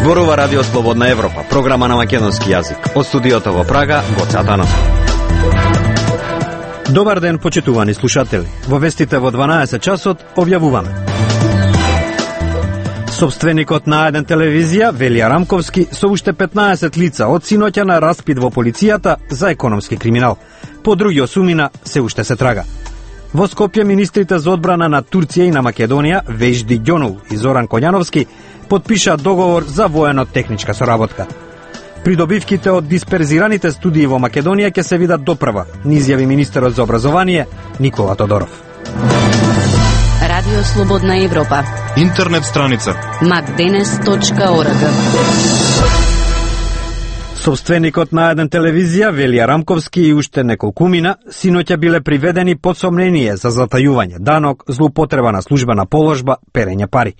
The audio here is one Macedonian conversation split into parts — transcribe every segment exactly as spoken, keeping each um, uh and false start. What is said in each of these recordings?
Зборува Радио Слободна Европа, програма на македонски јазик. Од студиото во Прага, Гоце Атанасов. Добар ден, почитувани слушатели. Во вестите во дванаесет часот објавуваме. Собственикот на еден телевизија, Велија Рамковски, со уште петнаесет лица од синоќа на распит во полицијата за економски криминал. По други осумина се уште се трага. Во Скопје министрите за одбрана на Турција и на Македонија, Вежди Ѓонул и Зоран Коњановски, подпишаа договор за воено-техничка соработка. Придобивките од дисперзираните студии во Македонија ќе се видат допрва, ни изјави министерот за образование Никола Тодоров. Радио Слободна Европа. Интернет страница макденес точка орг. Собственикот на еден телевизија, Велија Рамковски и уште неколкумина, синоќа биле приведени под сомнение за затајување данок, злоупотреба на службена положба, перење пари.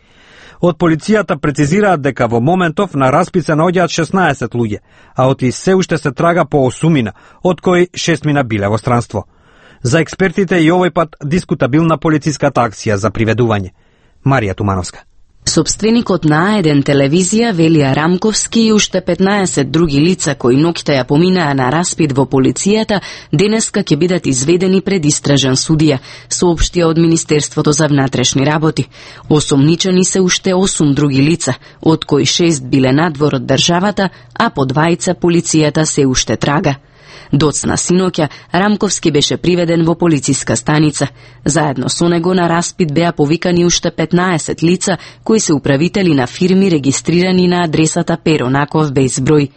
Од полицијата прецизираат дека во моментов на распит се наоѓаат шеснаесет луѓе, а од и се уште се трага по осумина, од кои шестмина биле во странство. За експертите и овој пат дискутабилна полициската акција за приведување. Марија Тумановска. Собственикот на еден телевизија, Велија Рамковски и уште петнаесет други лица кои ноќта ја поминаа на распит во полицијата, денеска ќе бидат изведени пред истражен судија, соопштија од Министерството за внатрешни работи. Осомничени се уште осум други лица, од кои шест биле надвор од државата, а по двајца полицијата се уште трага. Доцна синоќа, Рамковски беше приведен во полициска станица. Заедно со него на распит беа повикани уште петнаесет лица кои се управители на фирми регистрирани на адресата Перо Наков без број.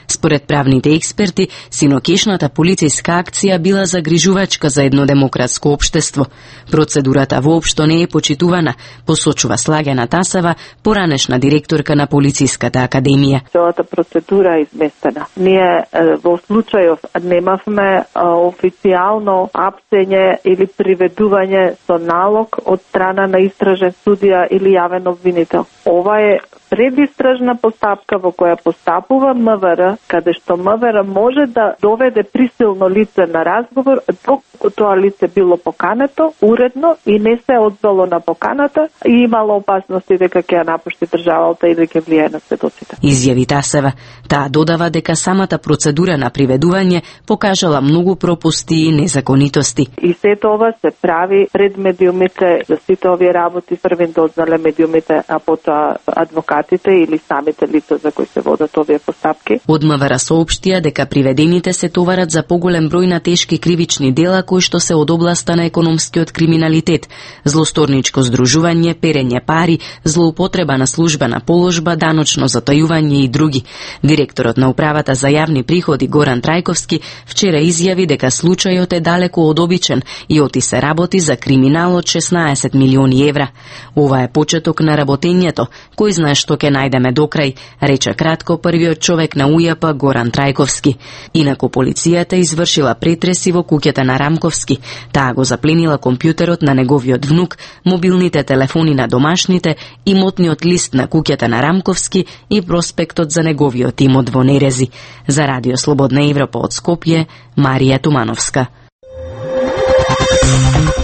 Според правните експерти, синокешната полициска акција била загрижувачка за едно демократско општество. Процедурата воопшто не е почитувана, посочува Слагена Тасева, поранешна директорка на Полициската академија. Целата процедура е изместена. Ние во случајов немавме официјално апсење или приведување со налог од страна на истражен судија или јавен обвинител. Ова е предистражна постапка во која постапува МВР, каде што МВР може да доведе присилно лице на разговор, доколку тоа лице било покането, уредно и не се одзвало на поканата и имало опасности дека ќе ја напушти државата и дека ќе влијае на сведоците. Изјави Тасева. Таа додава дека самата процедура на приведување покажала многу пропусти и незаконитости. И сето ова се прави пред медиумите, за сите овие работи првен дознале медиумите, а потоа адвокатите или самите лица за кои се водат овие постапки. Од МВР соопштија дека приведените се товарат за поголем број на тешки кривични дела кои што се од областа на економскиот криминалитет, злосторничко здружување, перење пари, злоупотреба на службена положба, даночно затајување и други. Директорот на управата за јавни приходи Горан Трајковски вчера изјави дека случајот е далеку од обичен и оти се работи за криминал од шеснаесет милиони евра. Ова е почеток на работењето, кој знае што ќе најдеме до крај, рече кратко првиот човек на УЈП Горан Трајковски. Инаку полицијата извршила претреси во куќата на Рамковски. Таа го запленила компјутерот на неговиот внук, мобилните телефони на домашните, имотниот лист на куќата на Рамковски и проспектот за неговиот имот во Нерези. За Радио Слободна Европа од Скопје, Марија Тумановска.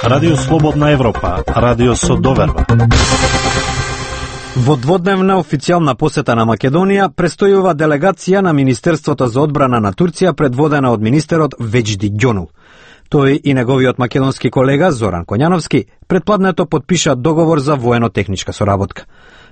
Радио Слободна Европа, радио со доверба. Во дводневна официјална посета на Македонија престојува делегација на Министерството за одбрана на Турција предводена од министерот Вежди Ѓонул. Тој и неговиот македонски колега Зоран Коњановски предпладнето подпишаа договор за воено-техничка соработка.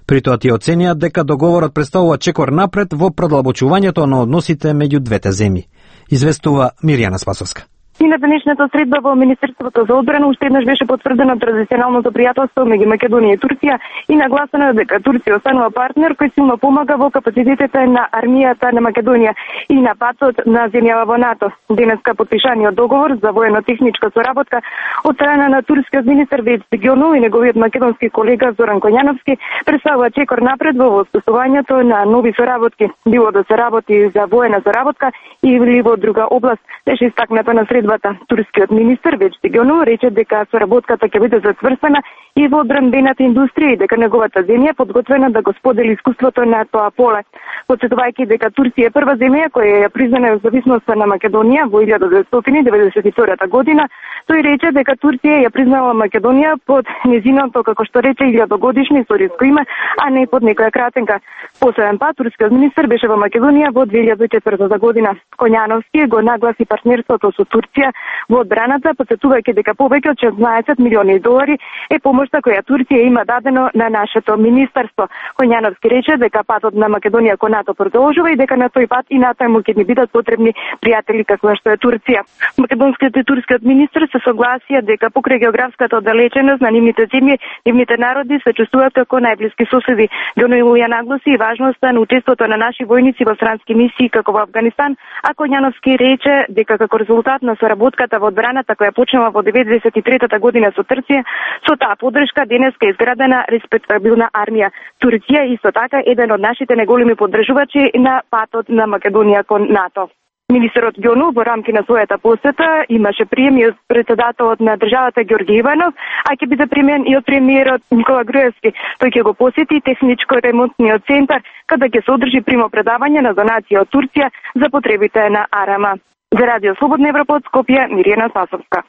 При тоа ти оцениат дека договорот представува чекор напред во продлабочувањето на односите меѓу двете земји. Известува Мирјана Спасовска. И на денешната средба во Министерството за одбрана уште еднаш беше потврдено традиционалното пријателство меѓу Македонија и Турција и нагласено дека Турција останува партнер кој силно помага во капацитетите на армијата на Македонија и на патот на земјава во НАТО. Денеска подпишаниот договор за воено-техничка соработка од страна на турскиот министер Вежди Ѓонул и неговиот македонски колега Зоран Коњановски представува чекор напред во воспоставувањето на нови соработки, било да се работи за воена соработка или во друга област. Беше истакнато на средба службата. Турскиот министер Веџди Гьонов рече дека соработката ќе биде зацврстена и во одбранбената индустрија и дека неговата земја е подготвена да го сподели искуството на тоа поле. Потсетувајќи дека Турција е прва земја која ја призна независноста на Македонија во илјада деветстотини деветдесет и втора година, тој рече дека Турција ја признала Македонија под незиното, како што рече, илјадогодишно историско име, а не под некоја кратенка. Последен пат турскиот министер беше во Македонија во две илјади и четврта година. Коњановски го нагласи партнерството со Турција во одбраната, потсетувајќи дека повеќе од шеснаесет милиони долари е помошта која Турција има дадено на нашето министерство. Коњановски рече дека патот на Македонија кон НАТО продолжува и дека на тој пат и натаму ќе ни бидат потребни пријатели како што е Турција. Македонскиот и турскиот министер се согласија дека покрај географската оддалеченост на нивните земји, нивните народи се чувствуваат како најблиски соседи. Гьонов ја нагласи и важноста на учеството на наши војници во странски мисии како во Авганистан, а Коњановски рече дека како резултат на соработката во одбраната која почнала во деветдесет и трета година со Турција, со таа поддршка денеска е изградена респектабилна армија. Турција исто така еден од нашите најголеми поддржувачи на патот на Македонија кон НАТО. Министерот Гьонов во рамки на својата посета имаше прием и од председателот на државата Ѓорѓе Иванов, а ќе биде примен и од премиерот Никола Груевски. Тој ќе го посети техничко-ремонтниот центар, каде ќе се одржи примопредавање на донација од Турција за потребите на Арама. За Радио Слободна Европа од Скопје, Мирјана Спасовска.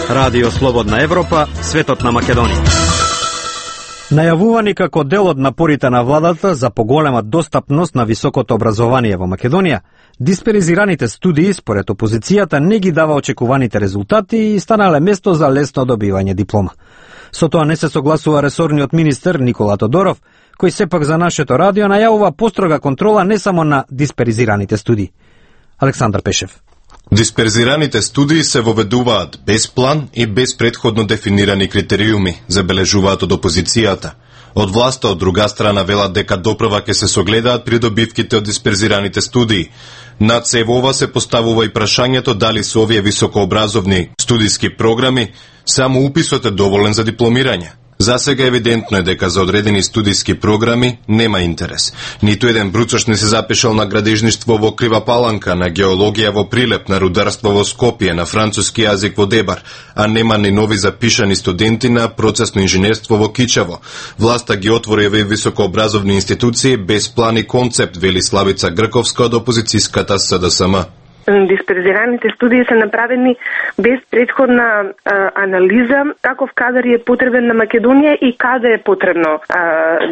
Радио Слободна Европа, светот на Македонија. Најавувани како дел од напорите на владата за поголема достапност на високото образование во Македонија, дисперзираните студии според опозицијата не ги дава очекуваните резултати и станале место за лесно добивање диплома. Со тоа не се согласува ресорниот министер Никола Тодоров, кој сепак за нашето радио најавува построга контрола не само на дисперзираните студии. Александар Пешев. Дисперзираните студии се воведуваат без план и без претходно дефинирани критериуми, забележуваат од опозицијата. Од власта од друга страна велат дека допрва ќе се согледаат придобивките од дисперзираните студии. Над се во ова се поставува и прашањето дали со овие високообразовни студиски програми само уписот е доволен за дипломирање. Засега евидентно е дека за одредени студиски програми нема интерес. Ниту еден бруцош не се запишал на градежништво во Крива Паланка, на геологија во Прилеп, на рударство во Скопје, на француски јазик во Дебар, а нема ни нови запишани студенти на процесно инженерство во Кичево. Власта ги отвори овие високообразовни институции без план и концепт, вели Славица Грковска од опозицијската С Д С М. Дисперзираните студии се направени без предходна а, анализа каков кадар е потребен на Македонија и каде е потребно а,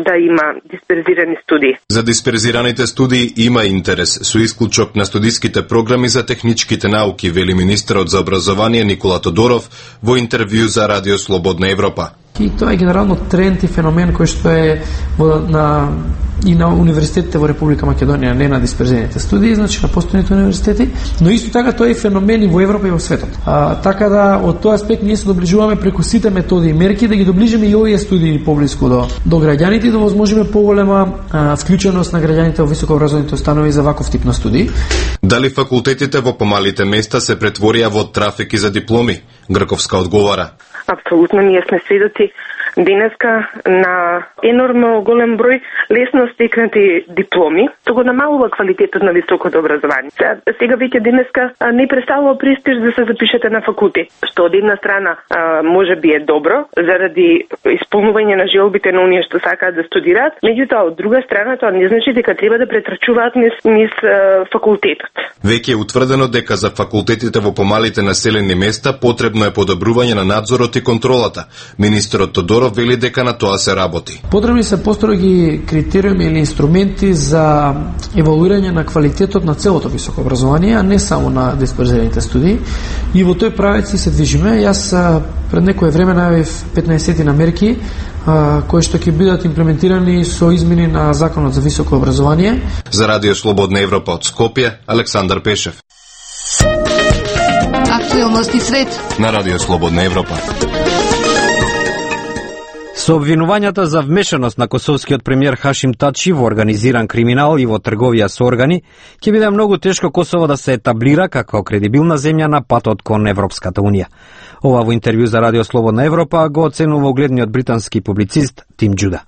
да има дисперзирани студии. За дисперзираните студии има интерес, со исклучок на студиските програми за техничките науки, вели министерот за образование Никола Тодоров во интервју за Радио Слободна Европа. И тоа е генерално тренд и феномен кој што е во, на, и на универзитетите во Република Македонија, не на дисперзираните студии, значи на постојните универзитети, но исто така тоа е феномен и во Европа и во светот. А, така да, од тој аспект ние се доближуваме преку сите методи и мерки да ги доближиме и овие студии поблиску до, до граѓаните и да возможиме поголема а, вклученост на граѓаните во високообразовните установи за ваков тип на студии. Дали факултетите во помалите места се претворија во трафики за дипломи? Грковска одговара. Апсолутно, ние сме сведоци денеска на енормно голем број лесно стекнати дипломи, што го намалува квалитетот на високото образование. Сега, сега веќе денеска не представува престиж да се запишете на факултет, што од една страна може би е добро заради исполнување на желбите на оние што сакаат да студираат, меѓутоа од друга страна тоа не значи дека треба да претрачуваат низ, низ факултетот. Веќе е утврдено дека за факултетите во помалите населени места потребно е подобрување на надзорот и контролата. Министерот Тодоров вели дека на тоа се работи. Потребни се построги критериуми или инструменти за евалуирање на квалитетот на целото високо образование, а не само на дисперзираните студии. И во тој правец се движиме. Јас пред некое време најавив петнаесет на мерки кои што ќе бидат имплементирани со измени на Законот за високо образование. За Радио Слободна Европа од Скопје, Александар Пешев. Актуелности свет на Радио Слободна Европа. Со обвинувањата за вмешаност на косовскиот премиер Хашим Тачи во организиран криминал и во трговија со органи, ќе биде многу тешко Косово да се етаблира како кредибилна земја на патот кон Европската Унија. Ова во интервју за Радио Слободна Европа го оценува угледниот британски публицист Тим Џуда.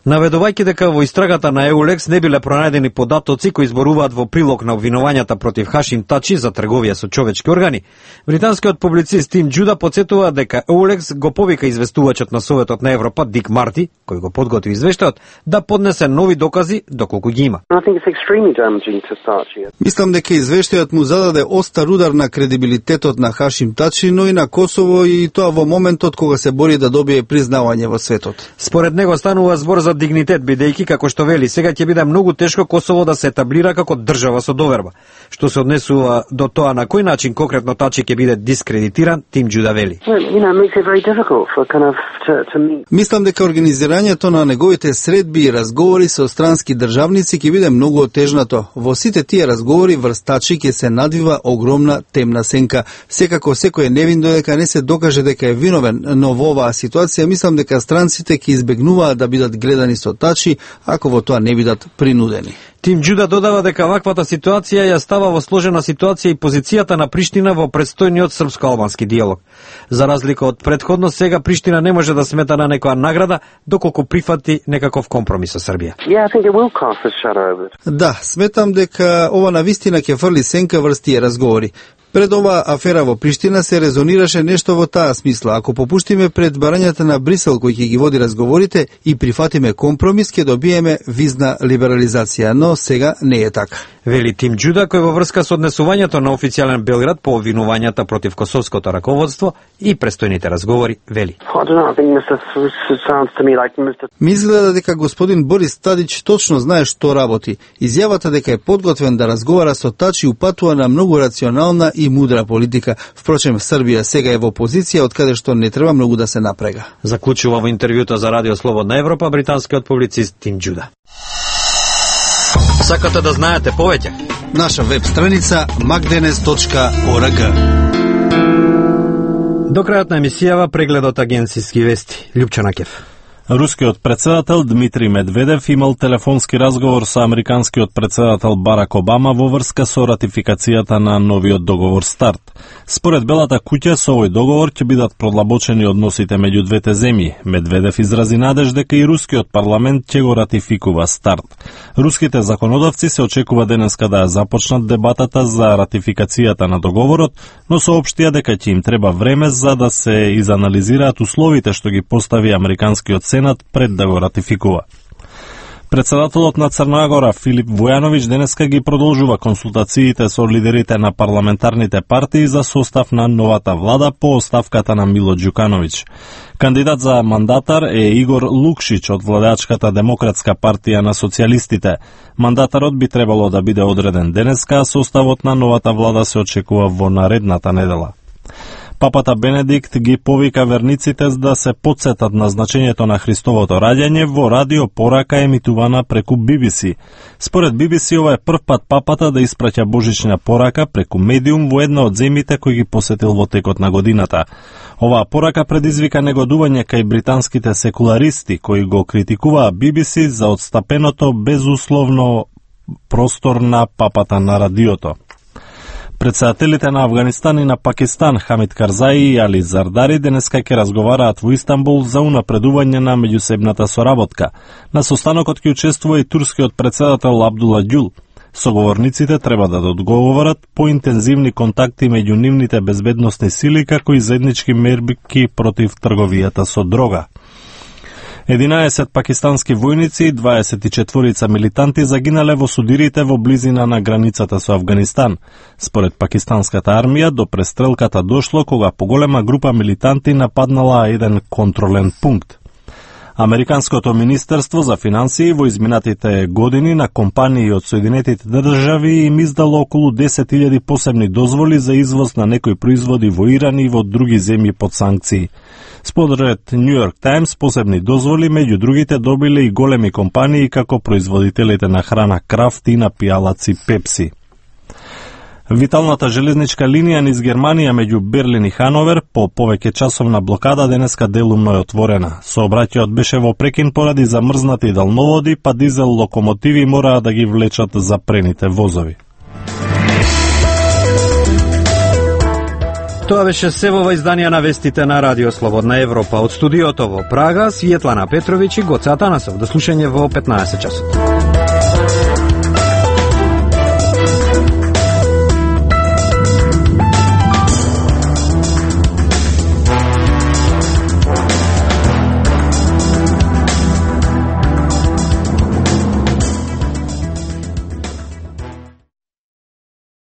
Наведувајќи дека во истрагата на Еулекс не биле пронајдени податоци кои изборуваат во прилог на обвинувањата против Хашим Тачи за трговија со човечки органи, британскиот публицист Тим Џуда потсетува дека Еулекс го повика известувачот на Советот на Европа Дик Марти, кој го подготви извештајот, да поднесе нови докази доколку ги има. Мислам дека извештајот му зададе остар удар на кредибилитетот на Хашим Тачи, но и на Косово, и тоа во моментот кога се бори да добие признавање во светот. Според него станува збор за дигнитет, бидејќи, како што вели, сега ќе биде многу тешко Косово да се етаблира како држава со доверба. Што се однесува до тоа на кој начин конкретно Тачи ќе биде дискредитиран, Тим Џуда вели. Мислам дека организирањето на неговите средби и разговори со странски државници ќе биде многу отежнато. Во сите тие разговори врз Тачи ќе се надвива огромна темна сенка. Секако секој е невин додека не се докаже дека е виновен, но во оваа ситуација мислам дека странците ќе избегнуваат да бидат гледани со Тачи ако во тоа не бидат принудени. Тим Џуда додава дека ваквата ситуација ја става во сложена ситуација и позицијата на Приштина во предстојниот српско-албански диалог. За разлика од претходно, сега Приштина не може да смета на некоја награда доколку прифати некаков компромис со Србија. Да, сметам дека ова навистина ќе фрли сенка врз тие разговори. Пред оваа афера во Приштина се резонираше нешто во таа смисла. Ако попуштиме пред барањата на Брисел кој ќе ги води разговорите и прифатиме компромис, ќе добиеме визна либерализација, но сега не е така. Вели Тим Џуда, кој во врска со однесувањето на официјален Белград по обвинувањата против косовското раководство и престојните разговори, вели. Ми изгледа дека господин Борис Тадич точно знае што работи. Изјавата дека е подготвен да разговара со Тачи упатува на многу рационална и мудра политика. Впрочем, Србија сега е во позиција од каде што не треба многу да се напрега. Заклучува во интервјуто за Радио Слободна Европа британскиот публицист Тим Џуда. Сакате да знаете повеќе? Наша веб страница макденес точка орг. До крајот на емисијава прегледот агенцијски вести. Лјупчана Кев. Рускиот председател Дмитрий Медведев имал телефонски разговор со американскиот председател Барак Обама во врска со ратификацијата на новиот договор СТАРТ. Според Белата куќа, со овој договор ќе бидат продлабочени односите меѓу двете земји. Медведев изрази надеж дека и рускиот парламент ќе го ратификува СТАРТ. Руските законодавци се очекува денеска да ја започнат дебатата за ратификацијата на договорот, но соопштија дека ќе им треба време за да се изанализираат условите што ги постави американскиот Сенат пред да го ратификува. Председателот на Црна Гора Филип Вујановиќ денеска ги продолжува консултациите со лидерите на парламентарните партии за состав на новата влада по оставката на Мило Ѓукановиќ. Кандидат за мандатар е Игор Лукшиќ од владеачката Демократска партија на социјалистите. Мандатарот би требало да биде одреден денеска, а составот на новата влада се очекува во наредната недела. Папата Бенедикт ги повика верниците да се потсетат на значењето на Христовото раѓање во радио порака емитувана преку Би Би Си. Според Би Би Си, ова е прв пат папата да испраќа божична порака преку медиум во една од земјите кои ги посетил во текот на годината. Оваа порака предизвика негодување кај британските секуларисти кои го критикуваа Би Би Си за отстапеното безусловно простор на папата на радиото. Председателите на Афганистан и на Пакистан Хамид Карзаи и Али Зардари денеска ќе разговараат во Истанбул за унапредување на меѓусебната соработка. На состанокот ќе учествува и турскиот председател Абдула Ѓул. Соговорниците треба да одговорат по интензивни контакти меѓу нивните безбедносни сили како и заеднички мерки против трговијата со дрога. единаесет пакистански војници и дваесет и четворица милитанти загинале во судирите во близина на границата со Афганистан. Според пакистанската армија, до престрелката дошло кога поголема група милитанти нападнала еден контролен пункт. Американското министерство за финансии во изминатите години на компании од Соединетите држави им издало околу десет илјади посебни дозволи за извоз на некои производи во Иран и во други земји под санкции. Според Нью Йорк Таймс, посебни дозволи меѓу другите добиле и големи компании како производителите на храна Крафт и напијалаци Пепси. Виталната железничка линија низ Германија меѓу Берлин и Хановер по повеќе часовна блокада денеска делумно е отворена. Сообраќајот беше во прекин поради замрзнати далноводи, па дизел локомотиви мораа да ги влечат запрените возови. Тоа беше се во издание на вестите на Радио Слободна Европа. Од студиото во Прага, Светлана Петровиќ и Гоце Атанасов. До слушање во петнаесет часот.